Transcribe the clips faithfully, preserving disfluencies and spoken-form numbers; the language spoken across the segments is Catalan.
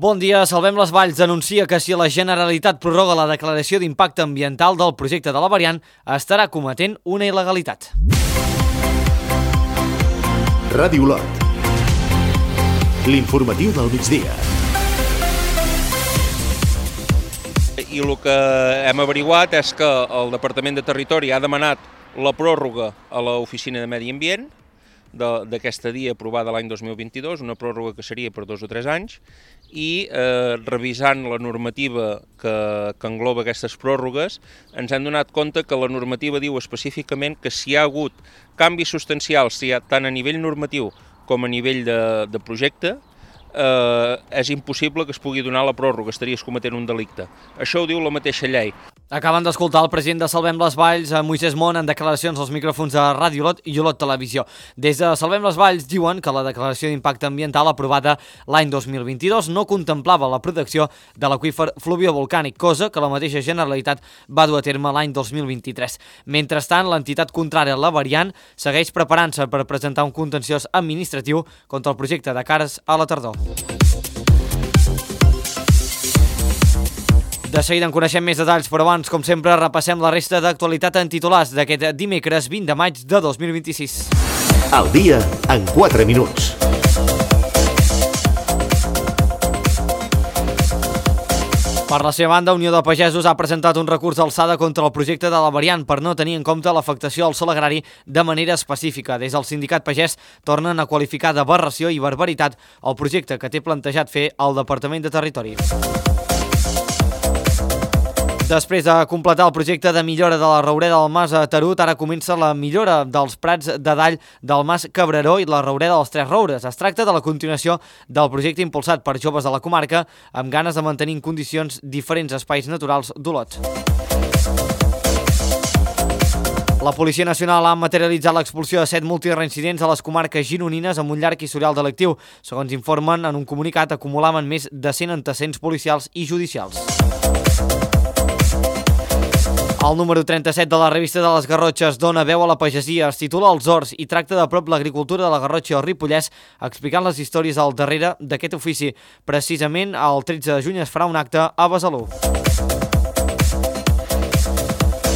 Bon dia. Salvem les Valls anuncia que si la Generalitat prorroga la declaració d'impacte ambiental del projecte de la variant, estarà cometent una il·legalitat. Ràdio Olot. L'informatiu del migdia. I el que hem averiguat és que el Departament de Territori ha demanat la pròrroga a l'Oficina de Medi Ambient d'aquesta dia aprovada l'any dos mil vint-i-dos, una pròrroga que seria per dos o tres anys, i eh, revisant la normativa que, que engloba aquestes pròrrogues, ens hem donat compte que la normativa diu específicament que si hi ha hagut canvis substancials, si hi ha, tant a nivell normatiu com a nivell de, de projecte, eh, és impossible que es pugui donar la pròrroga, estaries cometent un delicte. Això ho diu la mateixa llei. Acaben d'escoltar el president de Salvem les Valls, Moisès Mont, en declaracions als micròfons de Ràdio Olot i Olot Televisió. Des de Salvem les Valls diuen que la declaració d'impacte ambiental aprovada l'any dos mil vint-i-dos no contemplava la protecció de l'aqüífer fluviovolcànic, cosa que la mateixa Generalitat va dur a terme l'any dos mil vint-i-tres. Mentrestant, l'entitat contrària a la variant segueix preparant-se per presentar un contenciós administratiu contra el projecte de cares a la tardor. De seguida en coneixem més detalls, però abans, com sempre, repassem la resta d'actualitat en titulars d'aquest dimecres vint de maig de dos mil vint-i-sis. Al dia, en quatre minuts. Per la seva banda, Unió de Pagesos ha presentat un recurs d'alçada contra el projecte de la variant per no tenir en compte l'afectació al sòl agrari de manera específica. Des del sindicat pagès tornen a qualificar d'aberració i barbaritat el projecte que té plantejat fer el Departament de Territori. Després de completar el projecte de millora de la Roureda del Mas a Tarut, ara comença la millora dels prats de dall del Mas Cabreró i la Roureda dels Tres Roures. Es tracta de la continuació del projecte impulsat per joves de la comarca amb ganes de mantenir en condicions diferents espais naturals d'Olot. La Policia Nacional ha materialitzat l'expulsió de set multireincidents a les comarques gironines amb un llarg historial delictiu. Segons informen en un comunicat, acumulaven més de cent antecedents policials i judicials. El número trenta-set de la revista de les Garrotxes dona veu a la pagesia, es titula Els Horts i tracta de prop l'agricultura de la Garrotxa o Ripollès, explicant les històries al darrere d'aquest ofici. Precisament el tretze de juny es farà un acte a Besalú.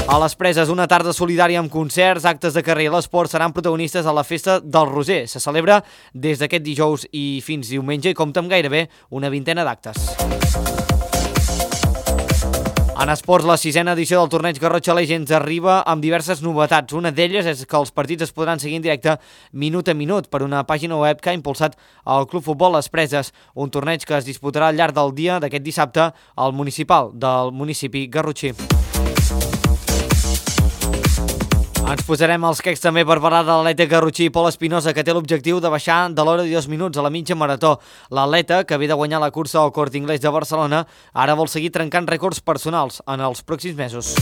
A les Preses, una tarda solidària amb concerts, actes de carrer i l'esport seran protagonistes a la festa del Roser. Se celebra des d'aquest dijous i fins diumenge i compta amb gairebé una vintena d'actes. En esports, la sisena edició del torneig Garrotxa Legends arriba amb diverses novetats. Una d'elles és que els partits es podran seguir en directe minut a minut per una pàgina web que ha impulsat el Club Futbol Les Preses, un torneig que es disputarà al llarg del dia d'aquest dissabte al municipal del municipi garrotxí. Ens posarem els quecs també per parlar de l'atleta garrotxí Pol Espinosa, que té l'objectiu de baixar de l'hora de dos minuts a la mitja marató. L'atleta, que ve de guanyar la cursa al Corte Inglés de Barcelona, ara vol seguir trencant rècords personals en els pròxims mesos.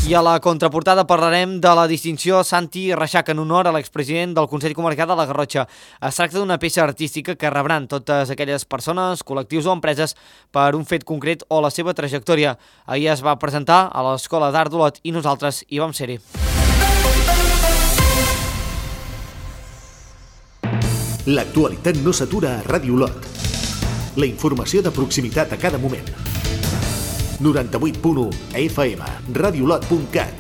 I a la contraportada parlarem de la distinció Santi Reixac en honor a l'expresident del Consell Comarcal de la Garrotxa. Es tracta d'una peça artística que rebran totes aquelles persones, col·lectius o empreses per un fet concret o la seva trajectòria. Ahir es va presentar a l'Escola d'Art d'Olot i nosaltres hi vam ser-hi. L'actualitat no s'atura a Ràdio Olot. La informació de proximitat a cada moment. noranta-vuit punt u F M, radiolot punt cat,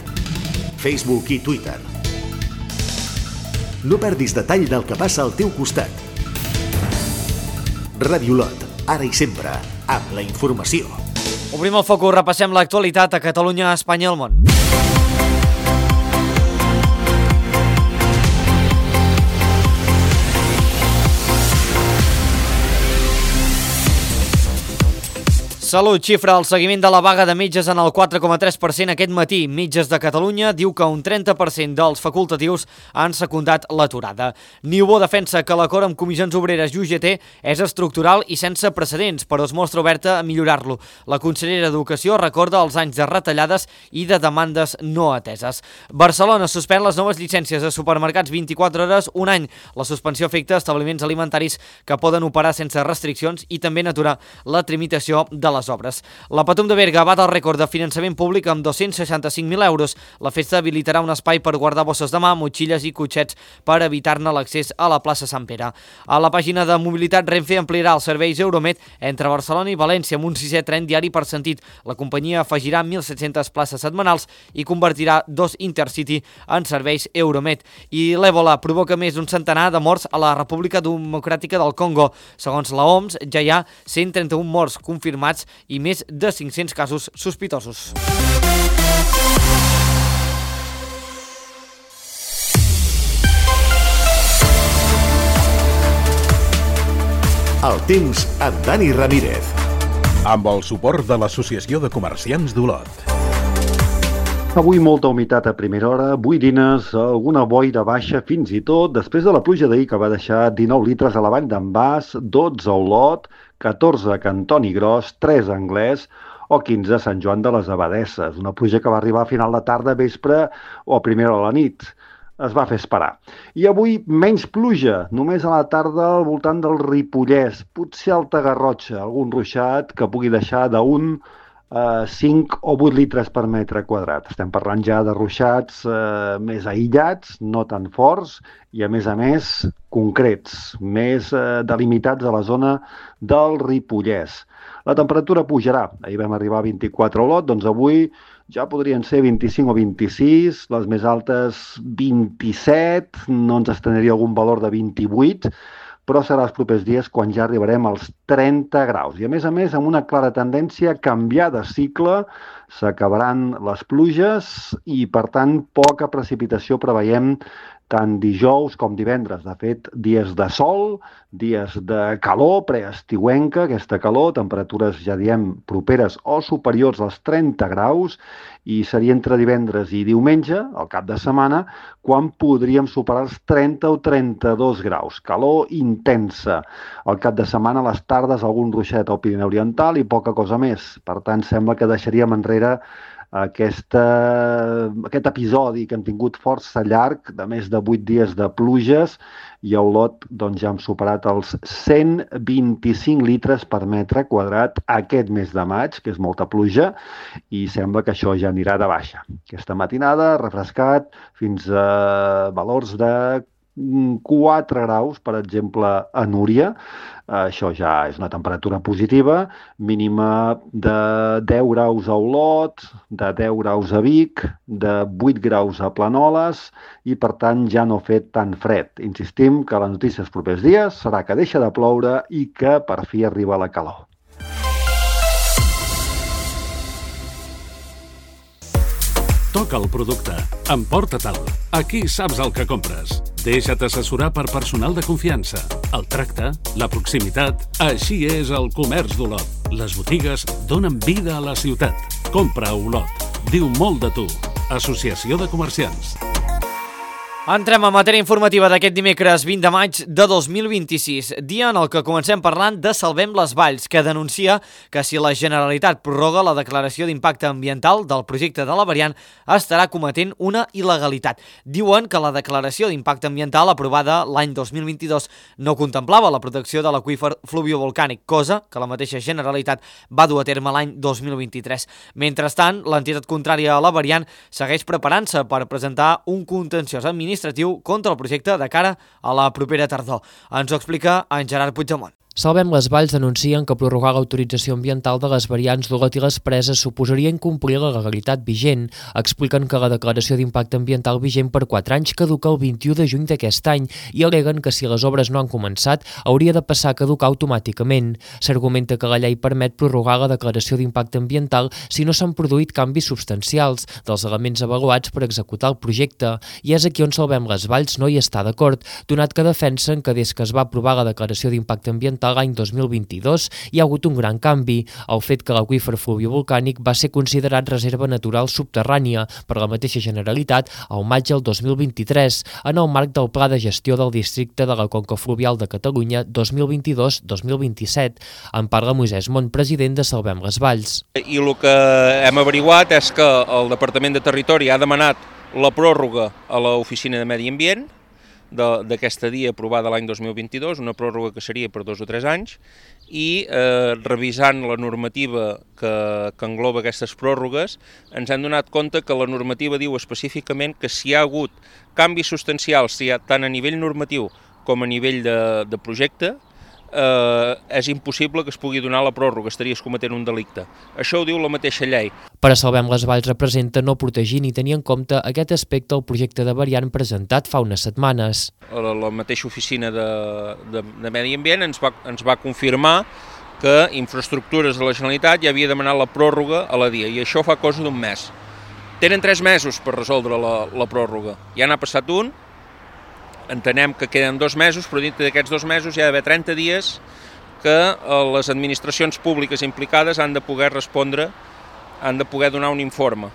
Facebook i Twitter. No perdis detall del que passa al teu costat. Ràdio Olot, ara i sempre, amb la informació. Obrim el focus, repassem l'actualitat a Catalunya, Espanya i el món. Salut xifra el seguiment de la vaga de metges en el quatre coma tres per cent aquest matí. Metges de Catalunya diu que un trenta per cent dels facultatius han secundat l'aturada. Niubó defensa que l'acord amb Comissions Obreres i U G T és estructural i sense precedents, però es mostra oberta a millorar-lo. La consellera d'Educació recorda els anys de retallades i de demandes no ateses. Barcelona suspèn les noves llicències de supermercats vint-i-quatre hores un any. La suspensió afecta establiments alimentaris que poden operar sense restriccions i també n'aturar la tramitació de la les obres. La Patum de Berga bat el rècord de finançament públic amb dos-cents seixanta-cinc mil euros. La festa habilitarà un espai per guardar bosses de mà, motxilles i cotxets per evitar-ne l'accés a la plaça Sant Pere. A la pàgina de mobilitat, Renfe ampliarà els serveis Euromed entre Barcelona i València amb un sisè tren diari per sentit. La companyia afegirà mil set-centes places setmanals i convertirà dos Intercity en serveis Euromed. I l'Èbola provoca més d'un centenar de morts a la República Democràtica del Congo. Segons la O M S, ja hi ha cent trenta-un morts confirmats i més de cinc-cents casos sospitosos. El temps amb Dani Ramírez. Amb el suport de l'Associació de Comerciants d'Olot. Avui molta humitat a primera hora, boirines, alguna boira baixa fins i tot després de la pluja d'ahir que va deixar dinou litres a la vall d'en Bas, dotze a Olot, catorze a Cantoni Gros, tres a Anglès o quinze a Sant Joan de les Abadesses. Una pluja que va arribar a final de tarda, vespre o a primera hora de la nit. Es va fer esperar. I avui menys pluja, només a la tarda al voltant del Ripollès, potser Alta Garrotxa, algun ruixat que pugui deixar d'un Uh, cinc o vuit litres per metre quadrat. Estem parlant ja de ruixats uh, més aïllats, no tan forts, i a més a més concrets, més uh, delimitats a la zona del Ripollès. La temperatura pujarà. Ahir vam arribar a vint-i-quatre a Olot, doncs avui ja podrien ser vint-i-cinc o vint-i-sis, les més altes vint-i-set, no ens estendria algun valor de vint-i-vuit, però serà els propers dies quan ja arribarem als trenta graus. I a més a més, amb una clara tendència a canviar de cicle, s'acabaran les pluges i, per tant, poca precipitació preveiem tant dijous com divendres. De fet, dies de sol, dies de calor, preestiuenca, aquesta calor, temperatures, ja diem, properes o superiors als trenta graus, i seria entre divendres i diumenge, al cap de setmana, quan podríem superar els trenta o trenta-dos graus. Calor intensa. Al cap de setmana, a les tardes, algun ruixet al Pirineu Oriental i poca cosa més. Per tant, sembla que deixaríem enrere Aquesta, aquest episodi que hem tingut força llarg, de més de vuit dies de pluges, i a Olot doncs, ja hem superat els cent vint-i-cinc litres per metre quadrat aquest mes de maig, que és molta pluja, i sembla que això ja anirà de baixa. Aquesta matinada, refrescat, fins a valors de quatre graus, per exemple, a Núria. Això ja és una temperatura positiva, mínima de deu graus a Olot, de deu graus a Vic, de vuit graus a Planoles i, per tant, ja no ha fet tan fred. Insistim que la notícia dels propers dies serà que deixa de ploure i que per fi arriba la calor. Toca el producte. Emporta-te'l. Aquí saps el que compres. Deixa't assessorar per personal de confiança. El tracte, la proximitat... Així és el comerç d'Olot. Les botigues donen vida a la ciutat. Compra a Olot. Diu molt de tu. Associació de Comerciants. Entrem a matèria informativa d'aquest dimecres vint de maig de dos mil vint-i-sis, dia en el que comencem parlant de Salvem les Valls, que denuncia que si la Generalitat prorroga la declaració d'impacte ambiental del projecte de la variant estarà cometent una il·legalitat. Diuen que la declaració d'impacte ambiental aprovada l'any dos mil vint-i-dos no contemplava la protecció de l'aqüífer fluviovolcànic, cosa que la mateixa Generalitat va dur a terme l'any dos mil vint-i-tres. Mentrestant, l'entitat contrària a la variant segueix preparant-se per presentar un contenciós administratiu contra el projecte de cara a la propera tardor. Ens ho explica en Gerard Puigdemont. Salvem les Valls denuncien que prorrogar l'autorització ambiental de les variants d'Olot i les Preses suposaria incomplir la legalitat vigent. Expliquen que la declaració d'impacte ambiental vigent per quatre anys caduca el vint-i-u de juny d'aquest any i aleguen que si les obres no han començat hauria de passar a caducar automàticament. S'argumenta que la llei permet prorrogar la declaració d'impacte ambiental si no s'han produït canvis substancials dels elements avaluats per executar el projecte, i és aquí on Salvem les Valls no hi està d'acord, donat que defensen que des que es va aprovar la declaració d'impacte ambiental l'any dos mil vint-i-dos hi ha hagut un gran canvi, el fet que l'aqüífer fluviovolcànic va ser considerat reserva natural subterrània per la mateixa Generalitat al maig del dos mil vint-i-tres, en el marc del Pla de Gestió del Districte de la Conca Fluvial de Catalunya dos mil vint-i-dos dos mil vint-i-set. En parla Moisès Mont, president de Salvem les Valls. I el que hem averiguat és que el Departament de Territori ha demanat la pròrroga a l'Oficina de Medi Ambient d'aquesta dia aprovada l'any dos mil vint-i-dos, una pròrroga que seria per dos o tres anys, i eh, revisant la normativa que, que engloba aquestes pròrrogues, ens hem donat compte que la normativa diu específicament que si hi ha hagut canvis substancials, si hi ha, tant a nivell normatiu com a nivell de, de projecte, eh, és impossible que es pugui donar la pròrroga, estaries cometent un delicte. Això ho diu la mateixa llei. Per a Salvem les Valls representa no protegir ni tenir en compte aquest aspecte al projecte de variant presentat fa unes setmanes. La, la mateixa oficina de, de, de Medi Ambient ens va, ens va confirmar que Infraestructures de la Generalitat ja havia demanat la pròrroga a la dia, i això fa cosa d'un mes. Tenen tres mesos per resoldre la, la pròrroga. Ja n'ha passat un, entenem que queden dos mesos, però dintre d'aquests dos mesos hi ha d'haver trenta dies que les administracions públiques implicades han de poder respondre, han de poder donar un informe.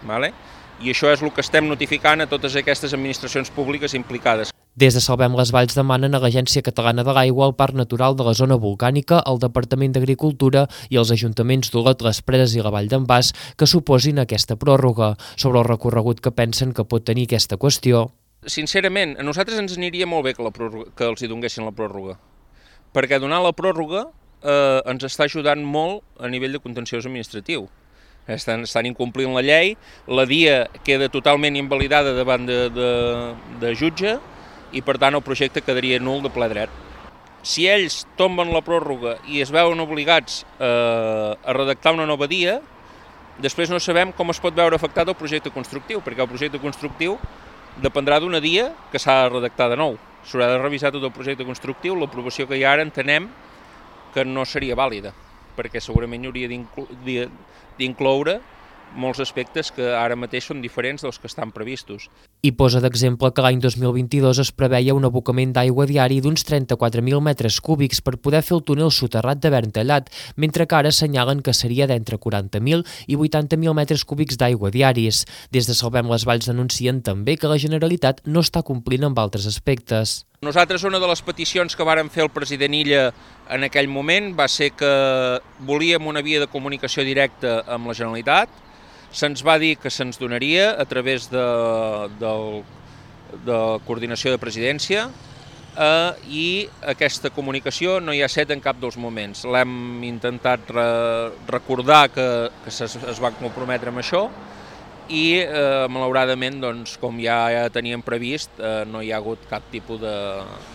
Vale? I això és el que estem notificant a totes aquestes administracions públiques implicades. Des de Salvem les Valls demanen a l'Agència Catalana de l'Aigua, el Parc Natural de la Zona Volcànica, el Departament d'Agricultura i els ajuntaments d'Olot, les Preses i la Vall d'en Bas que suposin aquesta pròrroga. Sobre el recorregut que pensen que pot tenir aquesta qüestió. Sincerament, a nosaltres ens aniria molt bé que, la pròrroga, que els hi donguessin la pròrroga, perquè donar la pròrroga eh, ens està ajudant molt a nivell de contenciós administratiu. Estan, estan incomplint la llei, la dia queda totalment invalidada davant de, de, de jutge i per tant el projecte quedaria nul de ple dret. Si ells tomben la pròrroga i es veuen obligats eh, a redactar una nova dia, després no sabem com es pot veure afectat el projecte constructiu, perquè el projecte constructiu dependrà d'una dia que s'ha de redactar de nou. S'haurà de revisar tot el projecte constructiu, l'aprovació que hi ha ara entenem que no seria vàlida, perquè segurament hi hauria d'incloure molts aspectes que ara mateix són diferents dels que estan previstos. I posa d'exemple que l'any dos mil vint-i-dos es preveia un abocament d'aigua diari d'uns trenta-quatre mil metres cúbics per poder fer el túnel soterrat de Verntallat, mentre que ara assenyalen que seria d'entre quaranta mil i vuitanta mil metres cúbics d'aigua diaris. Des de Salvem les Valls denuncien també que la Generalitat no està complint amb altres aspectes. Nosaltres una de les peticions que vàrem fer al president Illa en aquell moment va ser que volíem una via de comunicació directa amb la Generalitat. Se'ns va dir que se'ns donaria a través de, de, de coordinació de presidència eh, i aquesta comunicació no hi ha set en cap dels moments. L'hem intentat re, recordar que, que es, es va comprometre amb això i eh, malauradament, doncs, com ja, ja teníem previst, eh, no hi ha hagut cap tipus de,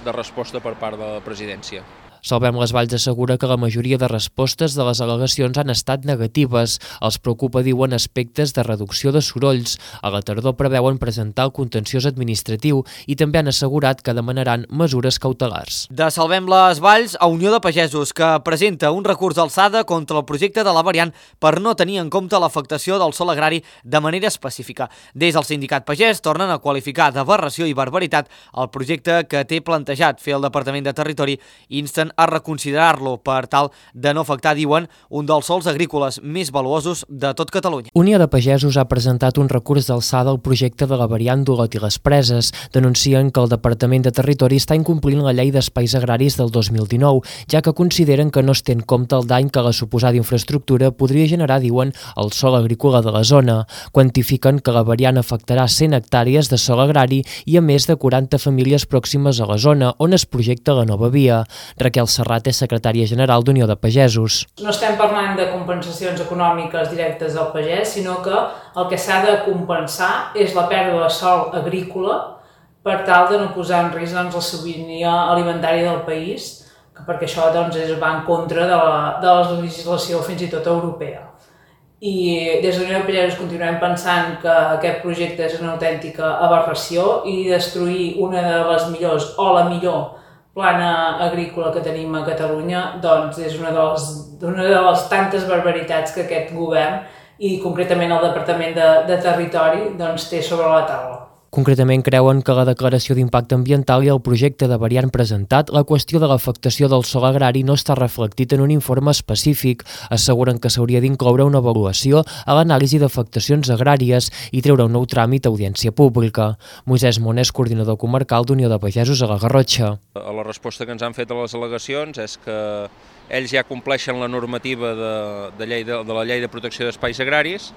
de resposta per part de la presidència. Salvem les Valls assegura que la majoria de respostes de les al·legacions han estat negatives. Els preocupa, diuen, aspectes de reducció de sorolls. A la tardor preveuen presentar el contenciós administratiu i també han assegurat que demanaran mesures cautelars. De Salvem les Valls a Unió de Pagesos, que presenta un recurs d'alçada contra el projecte de la variant per no tenir en compte l'afectació del sòl agrari de manera específica. Des del sindicat pagès tornen a qualificar d'aberració i barbaritat el projecte que té plantejat fer el Departament de Territori i insten a reconsiderar-lo per tal de no afectar, diuen, un dels sòls agrícoles més valuosos de tot Catalunya. Unió de Pagesos ha presentat un recurs d'alçada al projecte de la variant d'Olot i les Preses. Denuncien que el Departament de Territori està incomplint la llei d'espais agraris del dos mil dinou, ja que consideren que no es té en compte el dany que la suposada infraestructura podria generar, diuen, el sòl agrícola de la zona. Quantifiquen que la variant afectarà cent hectàrees de sòl agrari i a més de quaranta famílies pròximes a la zona on es projecta la nova via. Raquel Serrat és secretària general d'Unió de Pagesos. No estem parlant de compensacions econòmiques directes del pagès, sinó que el que s'ha de compensar és la pèrdua de sòl agrícola per tal de no posar en risc doncs, la sobirania alimentària del país, perquè això doncs, es va en contra de la, de la legislació fins i tot europea. I des de l'Unió de Pagesos continuem pensant que aquest projecte és una autèntica aberració i destruir una de les millors o la millor plana agrícola que tenim a Catalunya doncs és una de les, una de les tantes barbaritats que aquest govern i concretament el Departament de, de Territori doncs, té sobre la taula. Concretament creuen que la declaració d'impacte ambiental i el projecte de variant presentat, la qüestió de l'afectació del sòl agrari no està reflectit en un informe específic. Asseguren que s'hauria d'incloure una avaluació a l'anàlisi d'afectacions agràries i treure un nou tràmit a audiència pública. Moisès Monés, coordinador comarcal d'Unió de Pagesos a la Garrotxa. La resposta que ens han fet a les al·legacions és que ells ja compleixen la normativa de, de, llei de, de la Llei de Protecció d'Espais Agraris,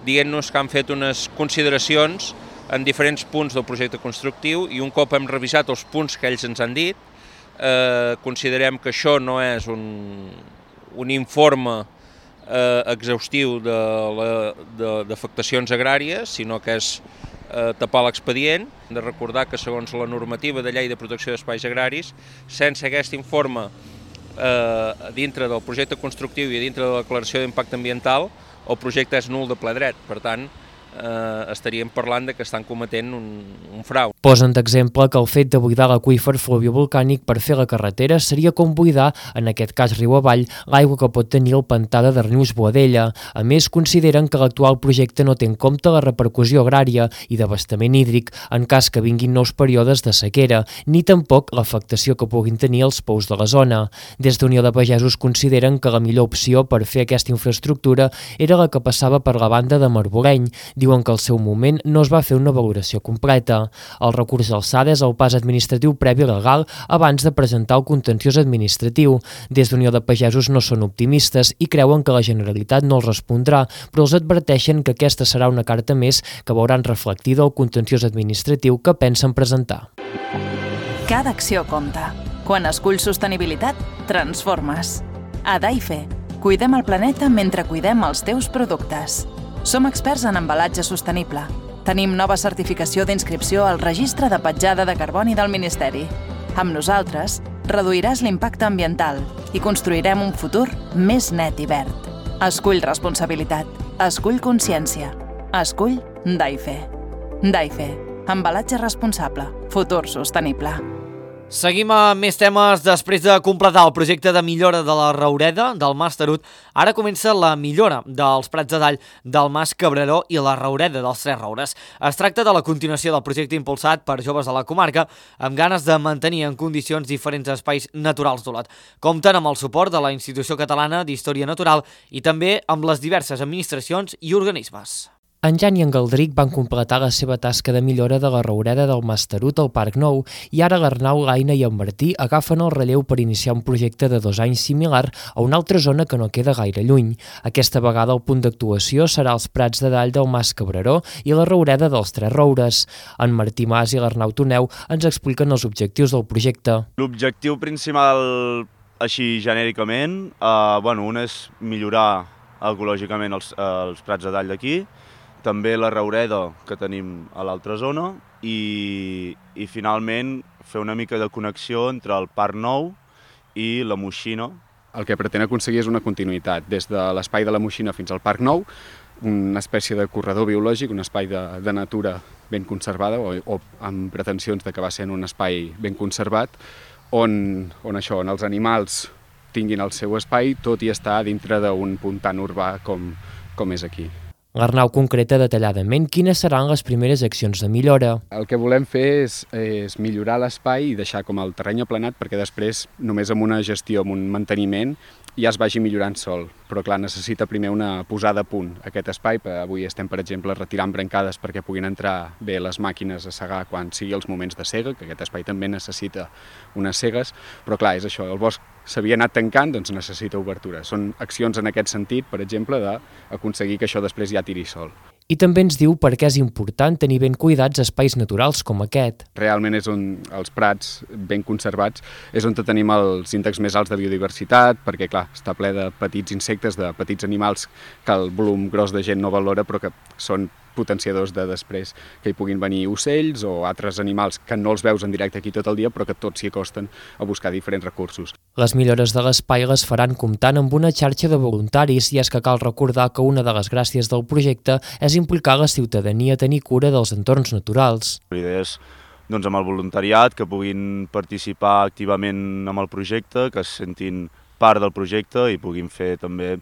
dient-nos que han fet unes consideracions en diferents punts del projecte constructiu i un cop hem revisat els punts que ells ens han dit, eh, considerem que això no és un, un informe eh, exhaustiu d'afectacions agràries, sinó que és eh, tapar l'expedient. Hem de recordar que segons la normativa de llei de protecció d'espais agraris, sense aquest informe eh, dintre del projecte constructiu i dintre de la declaració d'impacte ambiental, el projecte és nul de ple dret. Per tant, eh, estaríem parlant de que estan cometent un, un frau. Posen d'exemple que el fet de buidar l'aqüífer fluviovolcànic per fer la carretera seria com buidar, en aquest cas riu avall, l'aigua que pot tenir el pantà de Darnius-Boadella. A més, consideren que l'actual projecte no té en compte la repercussió agrària i d'abastament hídric en cas que vinguin nous períodes de sequera, ni tampoc l'afectació que puguin tenir els pous de la zona. Des d'Unió de Pagesos consideren que la millor opció per fer aquesta infraestructura era la que passava per la banda de Marboreny. Diuen que al seu moment no es va fer una valoració completa. El recurs d'alçada és el pas administratiu previ legal abans de presentar el contenciós administratiu. Des d'Unió de Pagesos no són optimistes i creuen que la Generalitat no els respondrà, però els adverteixen que aquesta serà una carta més que veuran reflectida el contenciós administratiu que pensen presentar. Cada acció compta. Quan esculls sostenibilitat, transformes. A Daife, cuidem el planeta mentre cuidem els teus productes. Som experts en embalatge sostenible. Tenim nova certificació d'inscripció al Registre de Petjada de Carboni del Ministeri. Amb nosaltres, reduiràs l'impacte ambiental i construirem un futur més net i verd. Escull responsabilitat. Escull consciència. Escull Daife. Daife. Embalatge responsable. Futur sostenible. Seguim amb més temes. Després de completar el projecte de millora de la Raureda del Mas Tarut, ara comença la millora dels prats de dall del Mas Cabreró i la Raureda dels Tres Roures. Es tracta de la continuació del projecte impulsat per joves de la comarca amb ganes de mantenir en condicions diferents espais naturals d'Olot. Compten amb el suport de la Institució Catalana d'Història Natural i també amb les diverses administracions i organismes. En Jan i en Galdric van completar la seva tasca de millora de la Raureda del Mas Tarut al Parc Nou i ara l'Arnau, l'Aina i en Martí agafen el relleu per iniciar un projecte de dos anys similar a una altra zona que no queda gaire lluny. Aquesta vegada el punt d'actuació serà els prats de dall del Mas Cabreró i la Raureda dels Tres Roures. En Martí Mas i l'Arnau Toneu ens expliquen els objectius del projecte. L'objectiu principal, així genèricament, eh, bueno, un és millorar ecològicament els, els prats de dall d'aquí, també la Raureda que tenim a l'altra zona i, i finalment fer una mica de connexió entre el Parc Nou i la Moixina. El que pretén aconseguir és una continuïtat des de l'espai de la Moixina fins al Parc Nou, una espècie de corredor biològic, un espai de, de natura ben conservada o, o amb pretensions de que va sent un espai ben conservat on, on, això, on els animals tinguin el seu espai tot i estar dintre d'un punt tan urbà com, com és aquí. L'Arnau concreta detalladament quines seran les primeres accions de millora. El que volem fer és, és millorar l'espai i deixar com el terreny aplanat perquè després, només amb una gestió, amb un manteniment, ja es vagi millorant sol. Però clar, necessita primer una posada a punt aquest espai. Avui estem, per exemple, retirant brancades perquè puguin entrar bé les màquines a segar quan sigui els moments de sega, que aquest espai també necessita unes segues, però clar, és això, el bosc s'havia anat tancant, doncs necessita obertura. Són accions en aquest sentit, per exemple, d'aconseguir que això després ja tiri sol. I també ens diu per què és important tenir ben cuidats espais naturals com aquest. Realment és on els prats ben conservats és on tenim els índexs més alts de biodiversitat, perquè clar, està ple de petits insectes, de petits animals que el volum gros de gent no valora, però que són potenciadors de després que hi puguin venir ocells o altres animals que no els veus en directe aquí tot el dia, però que tots s'hi acosten a buscar diferents recursos. Les millores de l'espai les faran comptant amb una xarxa de voluntaris i és que cal recordar que una de les gràcies del projecte és implicar la ciutadania a tenir cura dels entorns naturals. La idea és doncs, amb el voluntariat que puguin participar activament amb el projecte, que es sentin part del projecte i puguin fer també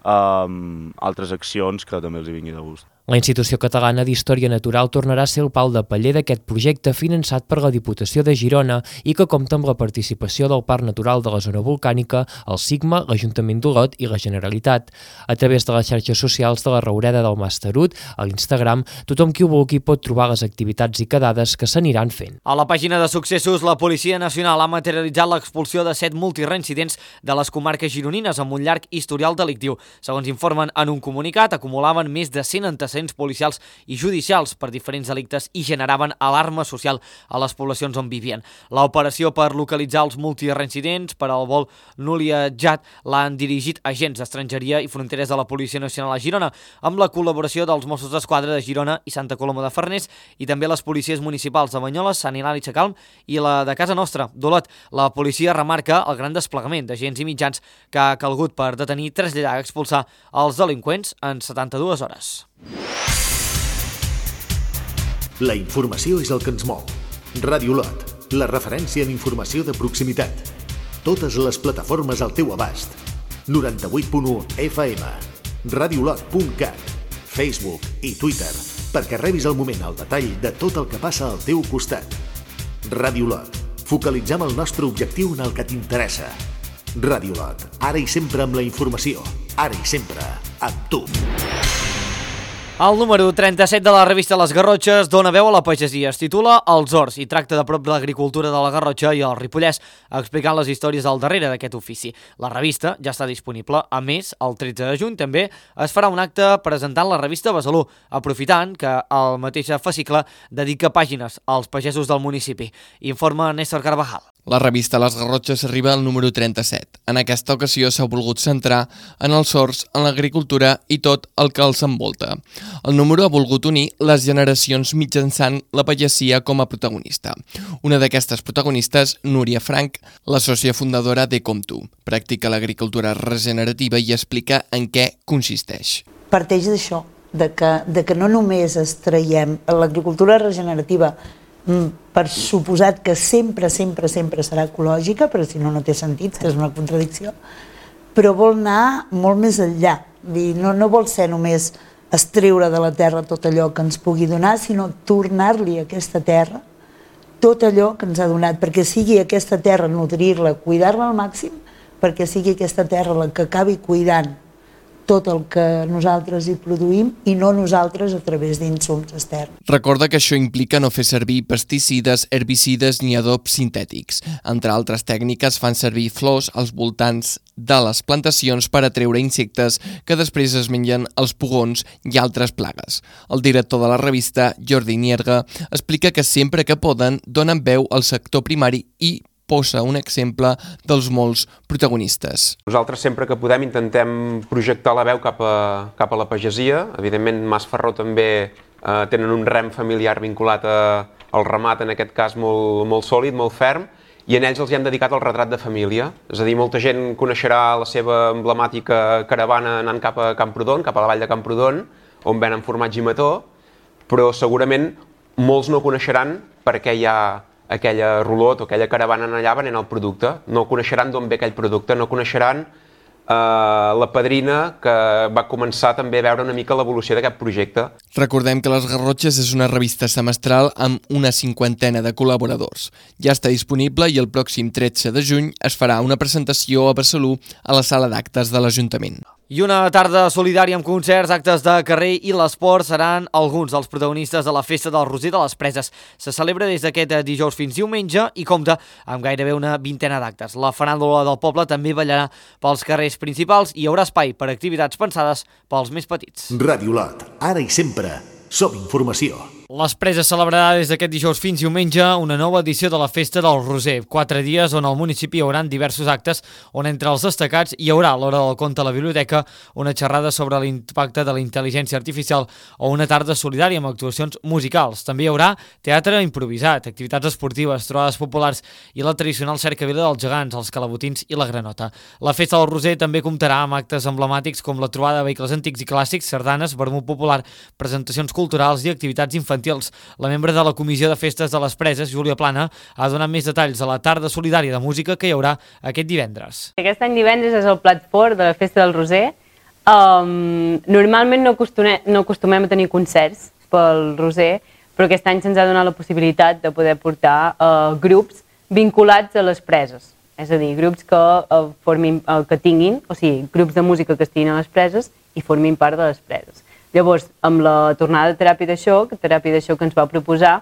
um, altres accions que també els hi vingui de gust. La Institució Catalana d'Història Natural tornarà a ser el pal de paller d'aquest projecte finançat per la Diputació de Girona i que compta amb la participació del Parc Natural de la Zona Volcànica, el SIGMA, l'Ajuntament d'Olot i la Generalitat. A través de les xarxes socials de la Raureda del Mas Tarut, a l'Instagram, tothom qui ho vulgui pot trobar les activitats i quedades que s'aniran fent. A la pàgina de successos, la Policia Nacional ha materialitzat l'expulsió de set multireincidents de les comarques gironines amb un llarg historial delictiu. Segons informen en un comunicat, acumulaven més de cent antecedents antecedents policials i judicials per diferents delictes i generaven alarma social a les poblacions on vivien. L'operació per localitzar els multireincidents per al vol Núlia-Jat l'han dirigit agents d'estrangeria i fronteres de la Policia Nacional a Girona, amb la col·laboració dels Mossos d'Esquadra de Girona i Santa Coloma de Farners i també les policies municipals de Banyoles, Sant Hilari Sacalm i la de casa nostra, d'Olot. La policia remarca el gran desplegament d'agents i mitjans que ha calgut per detenir, traslladar i expulsar els delinqüents en setanta-dues hores. La informació és el que ens mou. Ràdio Olot, la referència en informació de proximitat. Totes les plataformes al teu abast. noranta-vuit punt u F M, radiolot punt cat, Facebook i Twitter, perquè rebis al moment el detall de tot el que passa al teu costat. Ràdio Olot, focalitzem el nostre objectiu en el que t'interessa. Ràdio Olot, ara i sempre amb la informació, ara i sempre amb tu. El número trenta-set de la revista Les Garrotxes dona veu a la pagesia. Es titula Els Horts i tracta de prop de l'agricultura de la Garrotxa i el Ripollès, explicant les històries al darrere d'aquest ofici. La revista ja està disponible. A més, el tretze de juny també es farà un acte presentant la revista Besalú, aprofitant que el mateix fascicle dedica pàgines als pagesos del municipi. Informa Néstor Carvajal. La revista Les Garrotxes arriba al número trenta-set. En aquesta ocasió s'ha volgut centrar en els horts, en l'agricultura i tot el que els envolta. El número ha volgut unir les generacions mitjançant la pagesia com a protagonista. Una d'aquestes protagonistes, Núria Frank, la sòcia fundadora de Com Tu. Practica l'agricultura regenerativa i explica en què consisteix. Parteix d'això, de que, de que no només extraiem l'agricultura regenerativa, per suposat que sempre, sempre, sempre serà ecològica, però si no, no té sentit, que és una contradicció, però vol anar molt més enllà. No, no vol ser només extreure de la terra tot allò que ens pugui donar, sinó tornar-li a aquesta terra tot allò que ens ha donat, perquè sigui aquesta terra nodrir-la, cuidar-la al màxim, perquè sigui aquesta terra la que acabi cuidant tot el que nosaltres hi produïm i no nosaltres a través d'insums externs. Recorda que això implica no fer servir pesticides, herbicides ni adobs sintètics. Entre altres tècniques fan servir flors als voltants de les plantacions per atreure insectes que després es mengen els pugons i altres plagues. El director de la revista, Jordi Nierga, explica que sempre que poden donen veu al sector primari i posa un exemple dels molts protagonistes. Nosaltres sempre que podem intentem projectar la veu cap a, cap a la pagesia. Evidentment, Mas Ferró també eh, tenen un rem familiar vinculat a, al ramat, en aquest cas molt, molt sòlid, molt ferm, i en ells els hi hem dedicat el retrat de família. És a dir, molta gent coneixerà la seva emblemàtica caravana anant cap a Camprodon, cap a la vall de Camprodon, on venen formatge i mató, però segurament molts no coneixeran per què hi ha aquella rulot o aquella caravana allà venent el producte. No coneixeran d'on ve aquell producte, no coneixeran eh, la padrina que va començar també a veure una mica l'evolució d'aquest projecte. Recordem que Les Garrotxes és una revista semestral amb una cinquantena de col·laboradors. Ja està disponible i el pròxim tretze de juny es farà una presentació a Besalú a la sala d'actes de l'Ajuntament. I una tarda solidària amb concerts, actes de carrer i l'esport seran alguns dels protagonistes de la Festa del Roser de les Preses. Se celebra des d'aquest dijous fins diumenge i compta amb gairebé una vintena d'actes. La faràndula del poble també ballarà pels carrers principals i hi haurà espai per activitats pensades pels més petits. Ràdio Olot, ara i sempre, som informació. Les Preses celebrarà des d'aquest dijous fins diumenge una nova edició de la Festa del Roser. Quatre dies on al municipi hi haurà diversos actes on entre els destacats hi haurà a l'hora del conte a la biblioteca una xerrada sobre l'impacte de la intel·ligència artificial o una tarda solidària amb actuacions musicals. També hi haurà teatre improvisat, activitats esportives, trobades populars i la tradicional cercavila dels gegants, els calabotins i la granota. La Festa del Roser també comptarà amb actes emblemàtics com la trobada de vehicles antics i clàssics, sardanes, vermut popular, presentacions culturals i activitats infantils. La membre de la Comissió de Festes de les Preses, Júlia Plana, ha donat més detalls de la tarda solidària de música que hi haurà aquest divendres. Aquest any divendres és el plat fort de la Festa del Roser. Um, normalment no acostumem, no acostumem a tenir concerts pel Roser, però aquest any se'ns ha donat la possibilitat de poder portar uh, grups vinculats a les preses. És a dir, grups que, uh, formin, uh, que tinguin, o sigui, grups de música que estiguin a les preses i formin part de les preses. Llavors, amb la tornada de Teràpia de Xoc, Teràpia de Xoc ens va proposar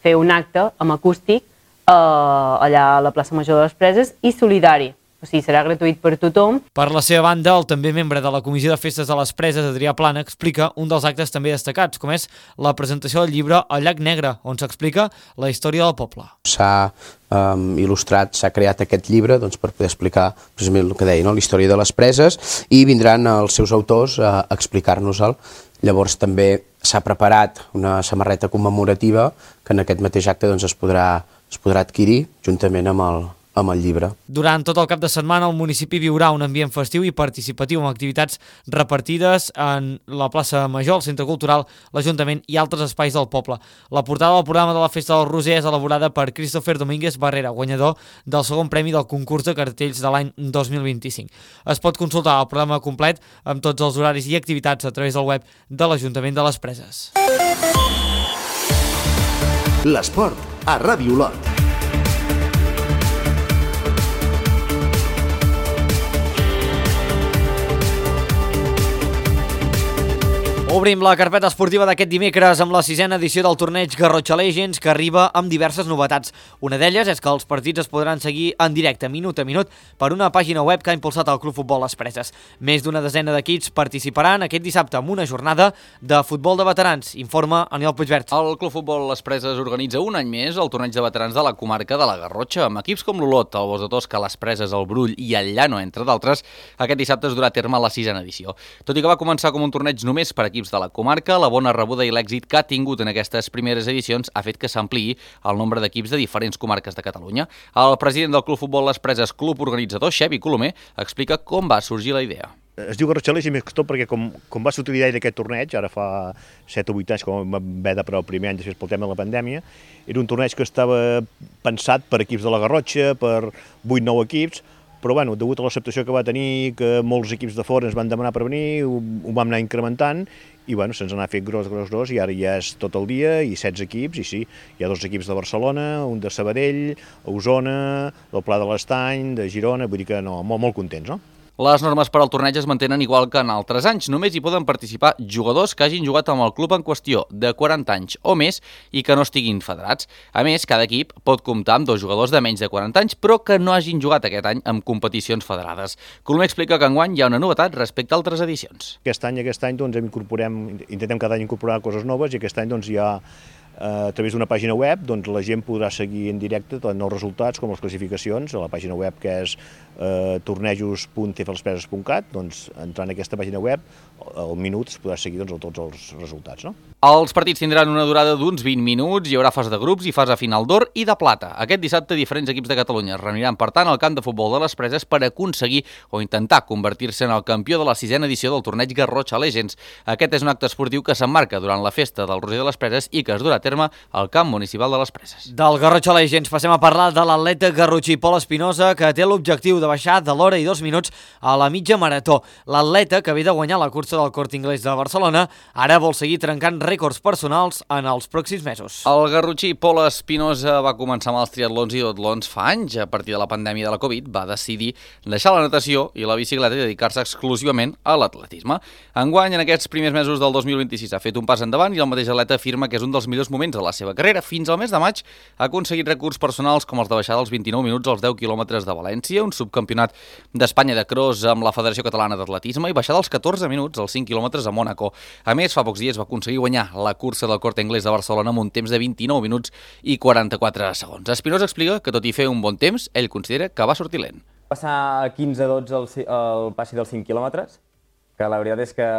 fer un acte amb acústic eh, allà a la plaça Major de les Preses i solidari. O sigui, serà gratuït per tothom. Per la seva banda, el també membre de la Comissió de Festes de les Preses, Adrià Plana, explica un dels actes també destacats, com és la presentació del llibre El llac negre, on s'explica la història del poble. S'ha um, il·lustrat, s'ha creat aquest llibre doncs, per poder explicar precisament el que deia, no? La història de les preses, i vindran els seus autors a explicar-nos-el. Llavors també s'ha preparat una samarreta commemorativa que en aquest mateix acte doncs, es, podrà, es podrà adquirir juntament amb el amb el llibre. Durant tot el cap de setmana el municipi viurà un ambient festiu i participatiu amb activitats repartides en la plaça Major, el Centre Cultural, l'Ajuntament i altres espais del poble. La portada del programa de la Festa del Roser és elaborada per Christopher Domínguez Barrera, guanyador del segon premi del concurs de cartells de l'any dos mil vint-i-cinc. Es pot consultar el programa complet amb tots els horaris i activitats a través del web de l'Ajuntament de les Preses. L'esport a Ràdio Olot. Obrim la carpeta esportiva d'aquest dimecres amb la sisena edició del torneig Garrotxa Legends, que arriba amb diverses novetats. Una d'elles és que els partits es podran seguir en directe, minut a minut, per una pàgina web que ha impulsat el Club Futbol Les Preses. Més d'una desena d'equips participaran aquest dissabte en una jornada de futbol de veterans, informa Aniol Puigvert. El Club Futbol Les Preses organitza un any més el torneig de veterans de la comarca de la Garrotxa, amb equips com l'Olot, el Bos de Tosca, Les Preses, el Brull i el Llano, entre d'altres. Aquest dissabte es durà a terme la sisena edició. Tot i que va començar com un torneig només per equips de la comarca, la bona rebuda i l'èxit que ha tingut en aquestes primeres edicions ha fet que s'ampliï el nombre d'equips de diferents comarques de Catalunya. El president del Club Futbol Les Preses, club organitzador, Xevi Colomer, explica com va sorgir la idea. Es diu Garrotxa Legends més que tot perquè com, com va sortir l'idea d'aquest torneig, ara fa set o vuit anys, com va haver de parar el primer any després pel tema de la pandèmia, era un torneig que estava pensat per equips de la Garrotxa, per vuit nou equips, però bueno, degut a l'acceptació que va tenir, que molts equips de fora ens van demanar per venir, ho, ho vam anar incrementant, i bueno, se'ns n'ha fet gros, gros, gros, i ara ja és tot el dia, i setze equips, i sí, hi ha dos equips de Barcelona, un de Sabadell, Osona, del Pla de l'Estany, de Girona, vull dir que no, molt, molt contents, no? Les normes per al torneig es mantenen igual que en altres anys. Només hi poden participar jugadors que hagin jugat amb el club en qüestió de quaranta anys o més i que no estiguin federats. A més, cada equip pot comptar amb dos jugadors de menys de quaranta anys, però que no hagin jugat aquest any en competicions federades. Colomer explica que enguany hi ha una novetat respecte a altres edicions. Aquest any, aquest any doncs, incorporem, intentem cada any incorporar coses noves, i aquest any doncs, hi ha a través d'una pàgina web, doncs la gent podrà seguir en directe tant els resultats com les classificacions a la pàgina web, que és eh, tornejos punt c f les preses punt cat, doncs entrant en aquesta pàgina web al minut es podrà seguir doncs, tots els resultats. No? Els partits tindran una durada d'uns vint minuts, hi haurà fase de grups i fase final d'or i de plata. Aquest dissabte diferents equips de Catalunya es reuniran per tant al camp de futbol de les Preses per aconseguir o intentar convertir-se en el campió de la sisena edició del torneig Garrotxa Legends. Aquest és un acte esportiu que s'emmarca durant la festa del Roser de les Preses i que es durà a terme al camp municipal de les Preses. Del Garrotxa Legends passem a parlar de l'atleta garrotxí Pol Espinosa, que té l'objectiu de baixar de l'hora i dos minuts a la mitja marató. L'atleta, que ve de guanyar la cursa del Corte Inglés de Barcelona, ara vol seguir trencant rècords personals en els pròxims mesos. El garrotxí Pol Espinosa va començar amb els triatlons i duatlons fa anys. A partir de la pandèmia de la Covid va decidir deixar la natació i la bicicleta i dedicar-se exclusivament a l'atletisme. Enguany, en aquests primers mesos del dos mil vint-i-sis, ha fet un pas endavant i el mateix atleta afirma que és un dels millors moments de la seva carrera. Fins al mes de maig ha aconseguit records personals com els de baixar dels vint-i-nou minuts als deu quilòmetres de València, un subcampionat d'Espanya de cross amb la Federació Catalana d'Atletisme i baixar dels catorze minuts als cinc quilòmetres a Mònaco. A més, fa pocs dies va aconseguir guanyar la cursa del Corte Inglés de Barcelona amb un temps de vint-i-nou minuts i quaranta-quatre segons. Espinosa explica que tot i fer un bon temps, ell considera que va sortir lent. Passar quinze a dotze el, el passi dels cinc quilòmetres, que la veritat és que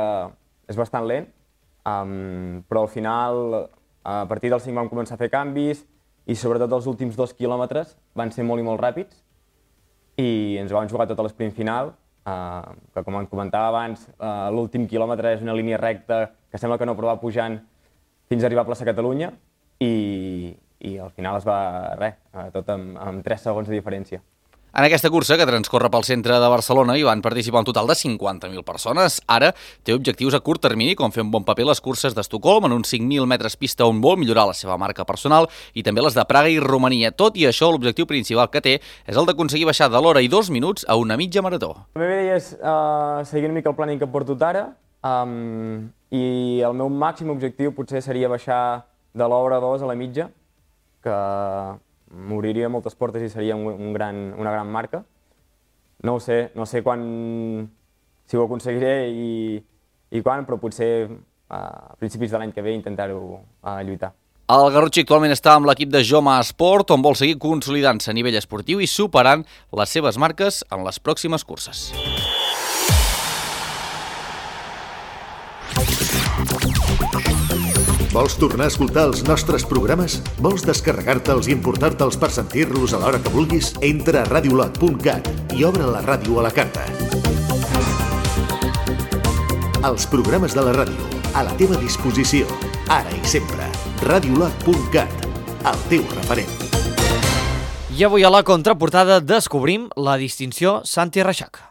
és bastant lent, um, però al final, a partir dels cinc vam començar a fer canvis i sobretot els últims dos quilòmetres van ser molt i molt ràpids i ens vam jugar tot a l'esprint final, uh, que com em comentava abans, uh, l'últim quilòmetre és una línia recta que sembla que no però va pujant fins a arribar a plaça Catalunya i, i al final es va, res, tot amb, amb tres segons de diferència. En aquesta cursa, que transcorre pel centre de Barcelona, hi van participar un total de cinquanta mil persones. Ara té objectius a curt termini, com fer un bon paper les curses d'Estocolm en uns cinc mil metres pista on vol millorar la seva marca personal i també les de Praga i Romania. Tot i això, l'objectiu principal que té és el d'aconseguir baixar de l'hora i dos minuts a una mitja marató. La meva idea és uh, seguir una mica el planning que porto ara um, i el meu màxim objectiu potser seria baixar de l'hora dos a la mitja, que m'obriria moltes portes i seria un, un gran, una gran marca. no ho sé, no sé quan, si ho aconseguiré i, i quan, però potser a principis de l'any que ve intentar-ho lluitar. El Garrotxí actualment està amb l'equip de Joma Esport, on vol seguir consolidant-se a nivell esportiu i superant les seves marques en les pròximes curses. Vols tornar a escoltar els nostres programes? Vols descarregar-te'ls i importar-te'ls per sentir-los a l'hora que vulguis? Entra a radiolot punt cat i obre la ràdio a la carta. Els programes de la ràdio, a la teva disposició, ara i sempre. radiolot punt cat, el teu referent. I avui a la contraportada descobrim la distinció Santi Reixac.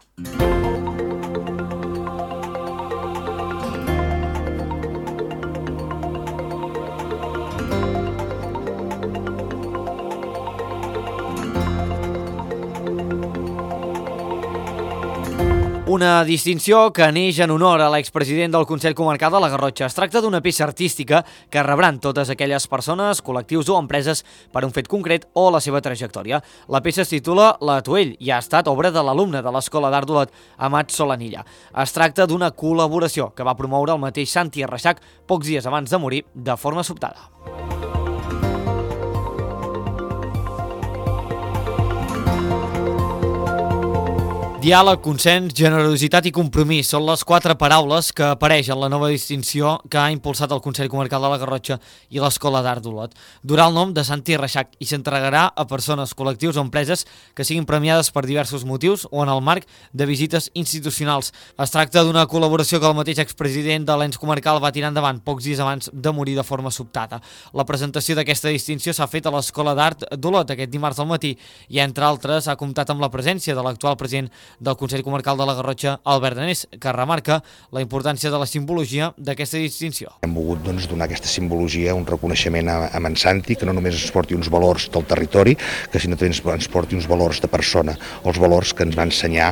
Una distinció que neix en honor a l'expresident del Consell Comarcal de la Garrotxa. Es tracta d'una peça artística que rebran totes aquelles persones, col·lectius o empreses per un fet concret o la seva trajectòria. La peça es titula L'Atuell i ha estat obra de l'alumne de l'Escola d'Art d'Olot, Amat Solanilla. Es tracta d'una col·laboració que va promoure el mateix Santi Reixac pocs dies abans de morir de forma sobtada. Diàleg, consens, generositat i compromís són les quatre paraules que apareixen en la nova distinció que ha impulsat el Consell Comarcal de la Garrotxa i l'Escola d'Art d'Olot. Durà el nom de Santi Reixac i s'entregarà a persones, col·lectius o empreses que siguin premiades per diversos motius o en el marc de visites institucionals. Es tracta d'una col·laboració que el mateix expresident de l'ens comarcal va tirar endavant pocs dies abans de morir de forma sobtada. La presentació d'aquesta distinció s'ha fet a l'Escola d'Art d'Olot aquest dimarts al matí i, entre altres, ha comptat amb la presència de l'actual president del Consell Comarcal de la Garrotxa, Albert Danés, que remarca la importància de la simbologia d'aquesta distinció. Hem volgut doncs, donar aquesta simbologia, un reconeixement a, a en Santi, que no només ens porti uns valors del territori, que sinó també ens, ens porti uns valors de persona, els valors que ens va ensenyar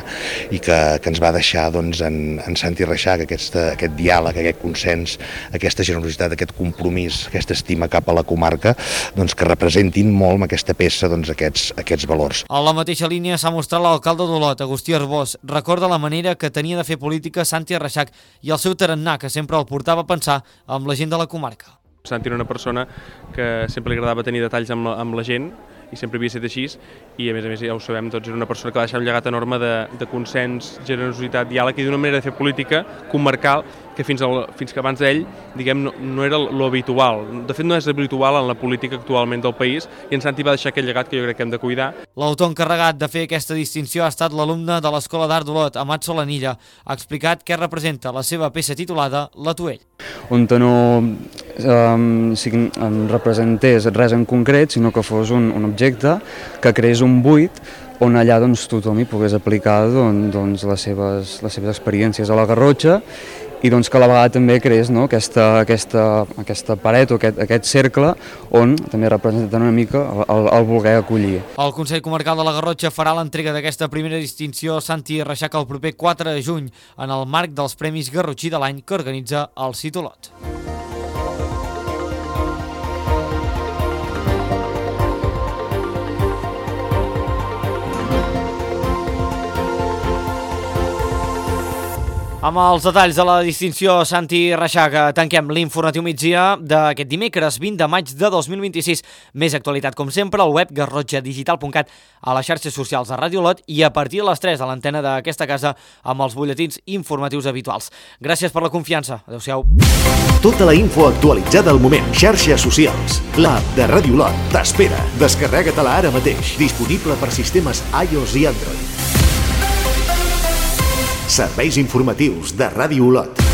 i que, que ens va deixar doncs, en, en Santi Reixac, aquesta, aquest diàleg, aquest consens, aquesta generositat, aquest compromís, aquesta estima cap a la comarca, doncs, que representin molt amb aquesta peça doncs, aquests, aquests valors. A la mateixa línia s'ha mostrat l'alcalde d'Olot, Agustí Arbós. Recorda la manera que tenia de fer política Santi Reixac i el seu tarannà, que sempre el portava a pensar amb la gent de la comarca. Santi era una persona que sempre li agradava tenir detalls amb la, amb la gent i sempre havia estat així i a més a més ja ho sabem tots, era una persona que va deixar un llegat enorme de, de consens, generositat, diàleg i d'una manera de fer política comarcal que fins, al, fins que abans d'ell diguem, no, no era lo habitual. De fet no és habitual en la política actualment del país i en Santi va deixar aquest llegat que jo crec que hem de cuidar. L'autor encarregat de fer aquesta distinció ha estat l'alumne de l'Escola d'Art d'Olot, Amat Solanilla. Ha explicat què representa la seva peça titulada L'Atuell. On no um, representés res en concret, sinó que fos un, un objecte que creés un buit on allà doncs, tothom hi pogués aplicar doncs, doncs, les, seves, les seves experiències a la Garrotxa i doncs, que a la vegada també creés no, aquesta, aquesta, aquesta paret o aquest, aquest cercle on també representa una mica el, el, el voler acollir. El Consell Comarcal de la Garrotxa farà l'entrega d'aquesta primera distinció Santi Reixac el proper quatre de juny en el marc dels Premis Garrotxí de l'any que organitza el Cit Olot. Amb els detalls de la distinció Santi Reixac tanquem l'informatiu migdia d'aquest dimecres vint de maig de dos mil vint-i-sis. Més actualitat com sempre al web garrotxa digital punt cat, a les xarxes socials de Ràdio Olot i a partir de les tres a l'antena d'aquesta casa amb els butlletins informatius habituals. Gràcies per la confiança. Adéu-siau. Tota la info actualitzada al moment. Xarxes socials. L'app de Ràdio Olot t'espera. Descarrega-te-la ara mateix. Disponible per sistemes iOS i Android. Serveis informatius de Ràdio Olot.